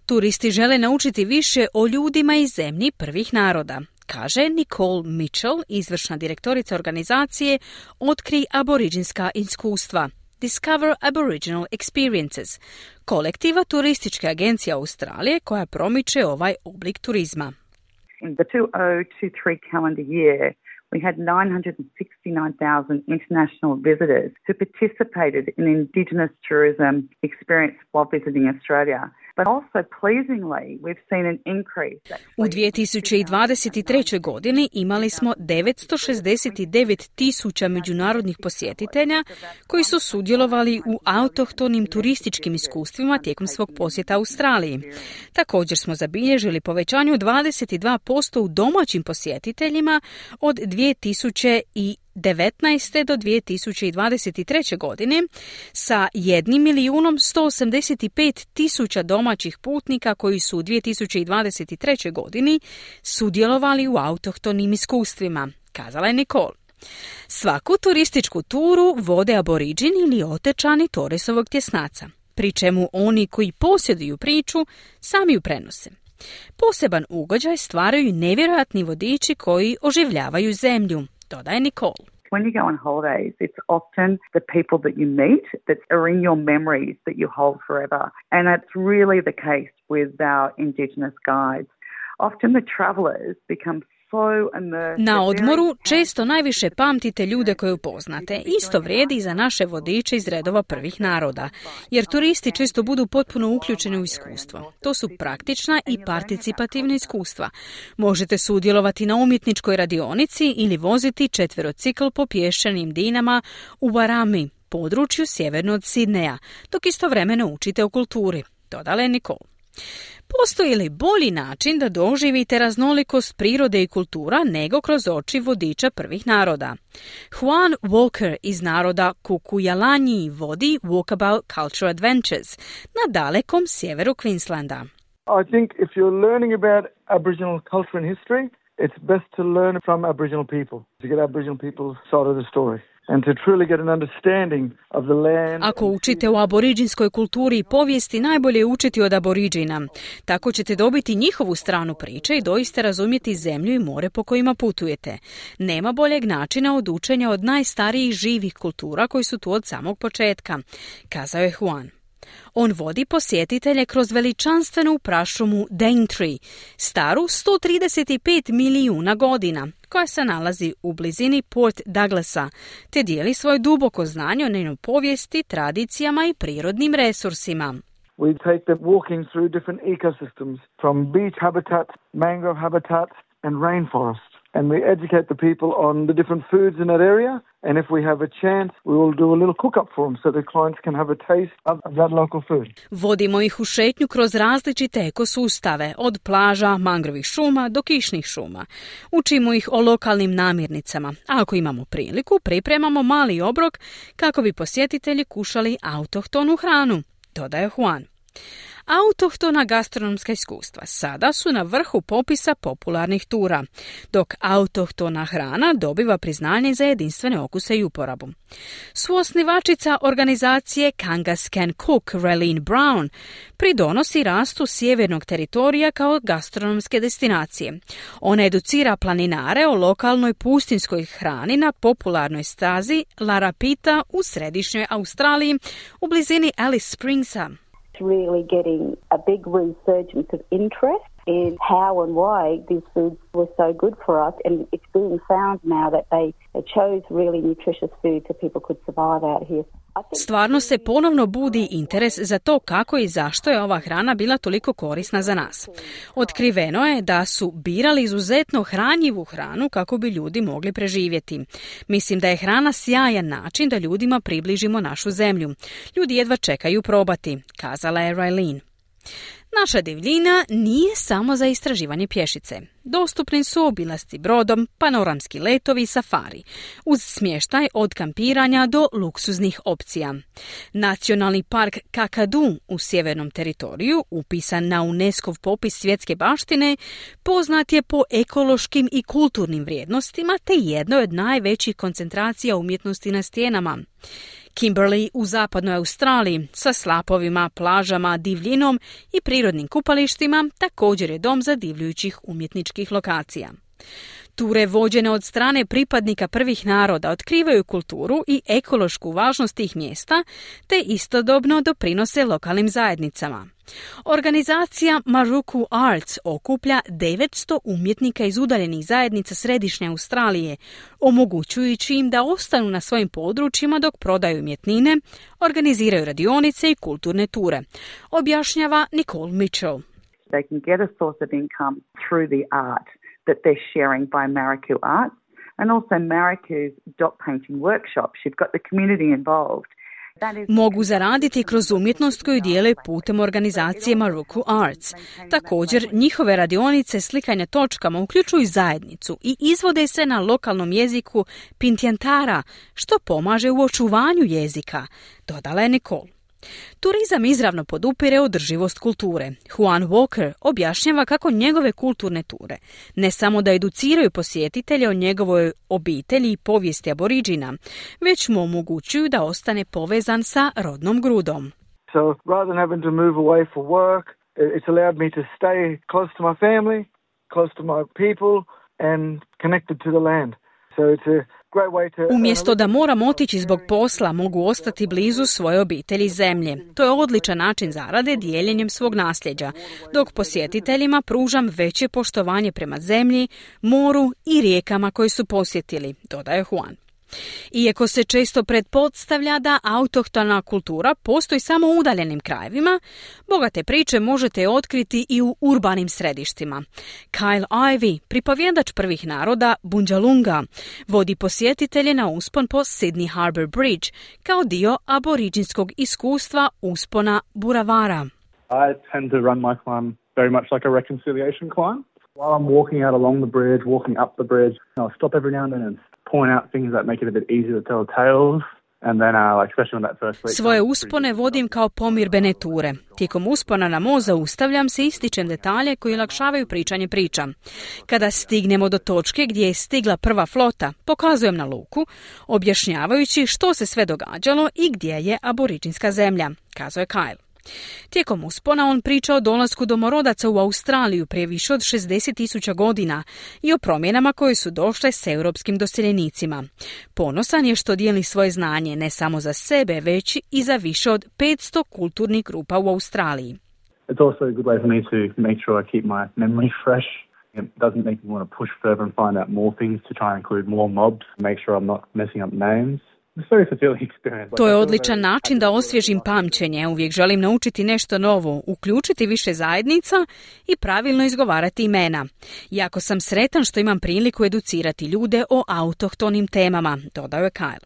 [SPEAKER 4] Turisti žele naučiti više o ljudima i zemlji prvih naroda, kaže Nicole Mitchell, izvršna direktorica organizacije Otkri aboriđinska iskustva, Discover Aboriginal Experiences, kolektiva turističke agencije Australije koja promiče ovaj oblik turizma.
[SPEAKER 5] In the 2023 calendar year, we had 969,000 international visitors who participated in Indigenous tourism experience while visiting Australia. But also pleasingly, we've seen an increase.
[SPEAKER 4] U 2023. godini imali smo 969,000 međunarodnih posjetitelja koji su sudjelovali u autohtonim turističkim iskustvima tijekom svog posjeta Australiji. Također smo zabilježili povećanje od 22% u domaćim posjetiteljima od 2019. do 2023. godine sa 1.185.000 domaćih putnika koji su u 2023. godini sudjelovali u autohtonim iskustvima, kazala je Nicole. Svaku turističku turu vode aboriđini ili otečani Torresovog tjesnaca, pri čemu oni koji posjeduju priču sami ju prenose. Poseban ugođaj stvaraju nevjerojatni vodiči koji oživljavaju zemlju, dodaje Nicole.
[SPEAKER 5] When you go on holidays, it's often the people that you meet that are in your memories that you hold forever. And that's really the case with our Indigenous guides. Often the travellers become
[SPEAKER 4] na odmoru često najviše pamtite ljude koje upoznate. Isto vrijedi i za naše vodiče iz redova prvih naroda, jer turisti često budu potpuno uključeni u iskustvo. To su praktična i participativna iskustva. Možete sudjelovati na umjetničkoj radionici ili voziti četverocikl po pješčanim dinama u Warami, području sjeverno od Sidneja, dok istovremeno učite o kulturi, dodala je Nicole. Postoji li bolji način da doživite raznolikost prirode i kultura nego kroz oči vodiča prvih naroda? Juan Walker iz naroda Kukuyalanji vodi Walkabout Culture Adventures na dalekom sjeveru Queenslanda.
[SPEAKER 6] I think if you're learning about Aboriginal culture and history, it's best to learn from Aboriginal people, to get Aboriginal people's side of the story. And to truly get an understanding of the land.
[SPEAKER 4] Ako učite o aboriđinskoj kulturi i povijesti, najbolje je učiti od aboriđina. Tako ćete dobiti njihovu stranu priče i doista razumjeti zemlju i more po kojima putujete. Nema boljeg načina od učenja od najstarijih živih kultura koji su tu od samog početka, kazao je Juan. On vodi posjetitelje kroz veličanstvenu prašumu Daintree, staru 135 milijuna godina, koja se nalazi u blizini Port Douglasa, te dijeli svoje duboko znanje o njenoj povijesti, tradicijama i prirodnim resursima.
[SPEAKER 6] We take them walking through different ecosystems, from beach habitats, mangrove habitats and rainforest. And we educate the people on the different foods in that area. And if we have a chance, we will do a little cook-up for them so the clients can have a taste of that local food.
[SPEAKER 4] Vodimo ih u šetnju kroz različite ekosustave, od plaža, mangrovih šuma do kišnih šuma. Učimo ih o lokalnim namirnicama, a ako imamo priliku, pripremamo mali obrok kako bi posjetitelji kušali autohtonu hranu, dodaje Juan. Autohtona gastronomska iskustva sada su na vrhu popisa popularnih tura, dok autohtona hrana dobiva priznanje za jedinstvene okuse i uporabu. Suosnivačica organizacije Kangaskan Cook, Raylene Brown, pridonosi rastu sjevernog teritorija kao gastronomske destinacije. Ona educira planinare o lokalnoj pustinskoj hrani na popularnoj stazi Larapita u središnjoj Australiji u blizini Alice Springsa.
[SPEAKER 7] Really getting a big resurgence of interest in how and why these foods were so good for us, and it's being found now that they chose really nutritious food so people could survive out here.
[SPEAKER 4] Stvarno se ponovno budi interes za to kako i zašto je ova hrana bila toliko korisna za nas. Otkriveno je da su birali izuzetno hranjivu hranu kako bi ljudi mogli preživjeti. Mislim da je hrana sjajan način da ljudima približimo našu zemlju. Ljudi jedva čekaju probati, kazala je Raylene. Naša divljina nije samo za istraživanje pješice. Dostupni su obilasci brodom, panoramski letovi i safari, uz smještaj od kampiranja do luksuznih opcija. Nacionalni park Kakadu u sjevernom teritoriju, upisan na UNESCO-v popis svjetske baštine, poznat je po ekološkim i kulturnim vrijednostima te jednoj od najvećih koncentracija umjetnosti na stijenama. Kimberley u zapadnoj Australiji sa slapovima, plažama, divljinom i prirodnim kupalištima također je dom zadivljujućih umjetničkih lokacija. Ture vođene od strane pripadnika prvih naroda otkrivaju kulturu i ekološku važnost tih mjesta, te istodobno doprinose lokalnim zajednicama. Organizacija Maruku Arts okuplja 900 umjetnika iz udaljenih zajednica središnje Australije, omogućujući im da ostanu na svojim područjima dok prodaju umjetnine, organiziraju radionice i kulturne ture, objašnjava Nicole Mitchell.
[SPEAKER 5] They can get a source of income through the art that they're sharing by Mariku Arts, and also Mariku's dot painting workshops. You've got the community involved.
[SPEAKER 4] Mogu zaraditi kroz umjetnost koju dijele putem organizacije Maruku Arts. Također, njihove radionice slikanja točkama uključuju zajednicu i izvode se na lokalnom jeziku Pintiantara, što pomaže u očuvanju jezika, dodala je Nicole. Turizam izravno podupire održivost kulture. Juan Walker objašnjava kako njegove kulturne ture ne samo da educiraju posjetitelje o njegovoj obitelji i povijesti aboriđina, već mu omogućuju da ostane povezan sa rodnom grudom.
[SPEAKER 6] So rather than having to move away for work, it's allowed me to stay close to my family, close to my people and connected to the land. So it's a
[SPEAKER 4] Umjesto da moram otići zbog posla, mogu ostati blizu svoje obitelji zemlje. To je odličan način zarade dijeljenjem svog nasljeđa, dok posjetiteljima pružam veće poštovanje prema zemlji, moru i rijekama koje su posjetili, dodaje Juan. Iako se često pretpostavlja da autohtona kultura postoji samo u udaljenim krajevima, bogate priče možete otkriti i u urbanim središtima. Kyle Ivey, pripovjedač prvih naroda Bundjalunga, vodi posjetitelje na uspon po Sydney Harbour Bridge kao dio aboriđinskog iskustva uspona Buravara.
[SPEAKER 9] I tend to run my climb very much like a reconciliation climb. While I'm walking out along the bridge, walking up the bridge, I'll stop every now and then and point out things that make it a bit easier to tell tales. And then, especially on that first week,
[SPEAKER 4] svoje uspone vodim kao pomirbene ture. Tijekom uspona na most zaustavljam se i ističem detalje koji olakšavaju pričanje priča. Kada stignemo do točke gdje je stigla prva flota, pokazujem na luku, objašnjavajući što se sve događalo i gdje je aboriđinska zemlja, kazao je Kyle. Tijekom uspona on priča o dolasku domorodaca u Australiju prije više od 60.000 godina i o promjenama koje su došle s europskim doseljenicima. Ponosan je što dijeli svoje znanje ne samo za sebe, već i za više od 500 kulturnih grupa u Australiji.
[SPEAKER 9] It's also a good way for me to make sure I keep my memory fresh. It doesn't make me want to push further and find out more things to try and include more mobs, make sure I'm not messing up names.
[SPEAKER 4] To je odličan način da osvježim pamćenje. Uvijek želim naučiti nešto novo, uključiti više zajednica i pravilno izgovarati imena. Jako sam sretan što imam priliku educirati ljude o autohtonim temama, dodao je Kyle.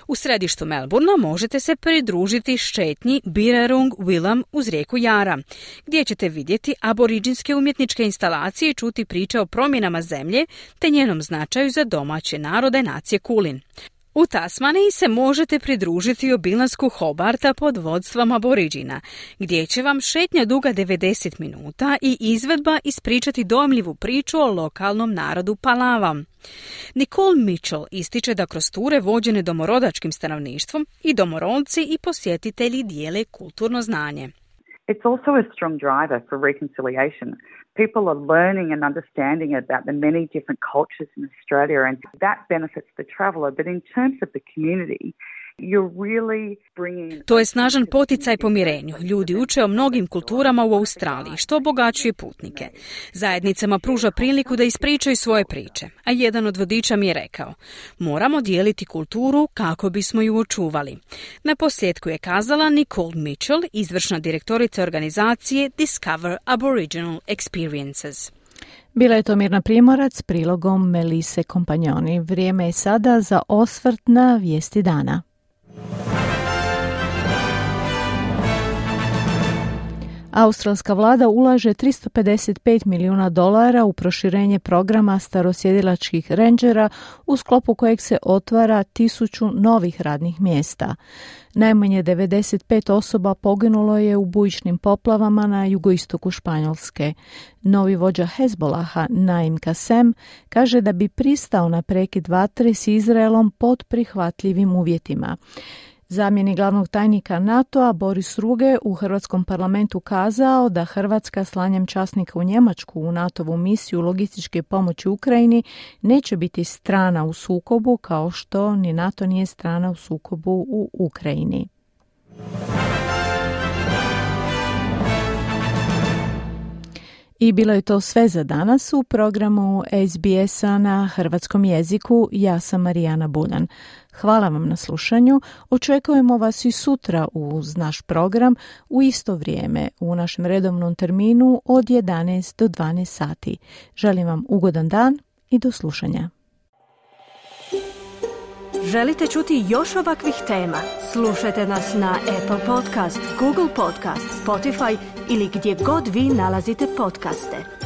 [SPEAKER 4] U središtu Melbournea možete se pridružiti šetnji Birrarung Willam uz rijeku Jara, gdje ćete vidjeti aboriđinske umjetničke instalacije i čuti priče o promjenama zemlje te njenom značaju za domaće narode nacije Kulin. U Tasmaniji se možete pridružiti obilasku Hobarta pod vodstvom aboriđina, gdje će vam šetnja duga 90 minuta i izvedba ispričati dojmljivu priču o lokalnom narodu Palava. Nicole Mitchell ističe da kroz ture vođene domorodačkim stanovništvom i domorodci i posjetitelji dijele kulturno znanje.
[SPEAKER 5] It's also a strong driver for reconciliation. People are learning and understanding about the many different cultures in Australia, and that benefits the traveller. But in terms of the community,
[SPEAKER 4] to je snažan poticaj pomirenju. Ljudi uče o mnogim kulturama u Australiji, što obogaćuje putnike. Zajednicama pruža priliku da ispričaju svoje priče, a jedan od vodiča mi je rekao: moramo dijeliti kulturu kako bismo ju očuvali. Na posljedku je kazala Nicole Mitchell, izvršna direktorica organizacije Discover Aboriginal Experiences.
[SPEAKER 3] Bila je to Mirna Primorac s prilogom Melise Kompanjoni. Vrijeme je sada za osvrt na vijesti dana. Australska vlada ulaže $355 milijuna u proširenje programa starosjedilačkih rendžera u sklopu kojeg se otvara 1000 novih radnih mjesta. Najmanje 95 osoba poginulo je u bujičnim poplavama na jugoistoku Španjolske. Novi vođa Hezbolaha, Naim Kasem, kaže da bi pristao na prekid vatre s Izraelom pod prihvatljivim uvjetima. Zamjenik glavnog tajnika NATO-a Boris Ruge u Hrvatskom parlamentu kazao da Hrvatska slanjem časnika u Njemačku u NATO-vu misiju logističke pomoći Ukrajini neće biti strana u sukobu kao što ni NATO nije strana u sukobu u Ukrajini. I bilo je to sve za danas u programu SBS-a na hrvatskom jeziku. Ja sam Marijana Buljan. Hvala vam na slušanju. Očekujemo vas i sutra uz naš program u isto vrijeme u našem redovnom terminu od 11 do 12 sati. Želim vam ugodan dan i do slušanja.
[SPEAKER 1] Želite čuti još ovakvih tema? Slušajte nas na Apple Podcast, Google Podcast, Spotify ili gdje god vi nalazite podcaste.